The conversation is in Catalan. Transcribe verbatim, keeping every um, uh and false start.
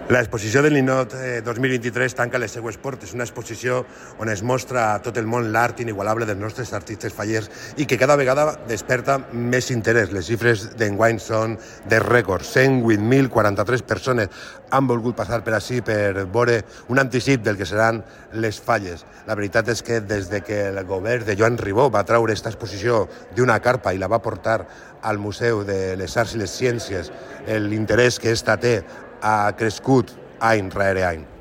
L'exposició del Ninot eh, dos mil vint-i-tres tanca les seues portes, una exposició on es mostra a tot el món l'art inigualable dels nostres artistes fallers i que cada vegada desperta més interès. Les xifres d'enguany són de rècord. cent vuit mil quaranta-tres persones han volgut passar per ací per veure un anticip del que seran les falles. La veritat és que des de que el govern de Joan Ribó va traure aquesta exposició d'una carpa i la va portar al Museu de les Arts i les Ciències, l'interès que esta té ha crescut any rere any.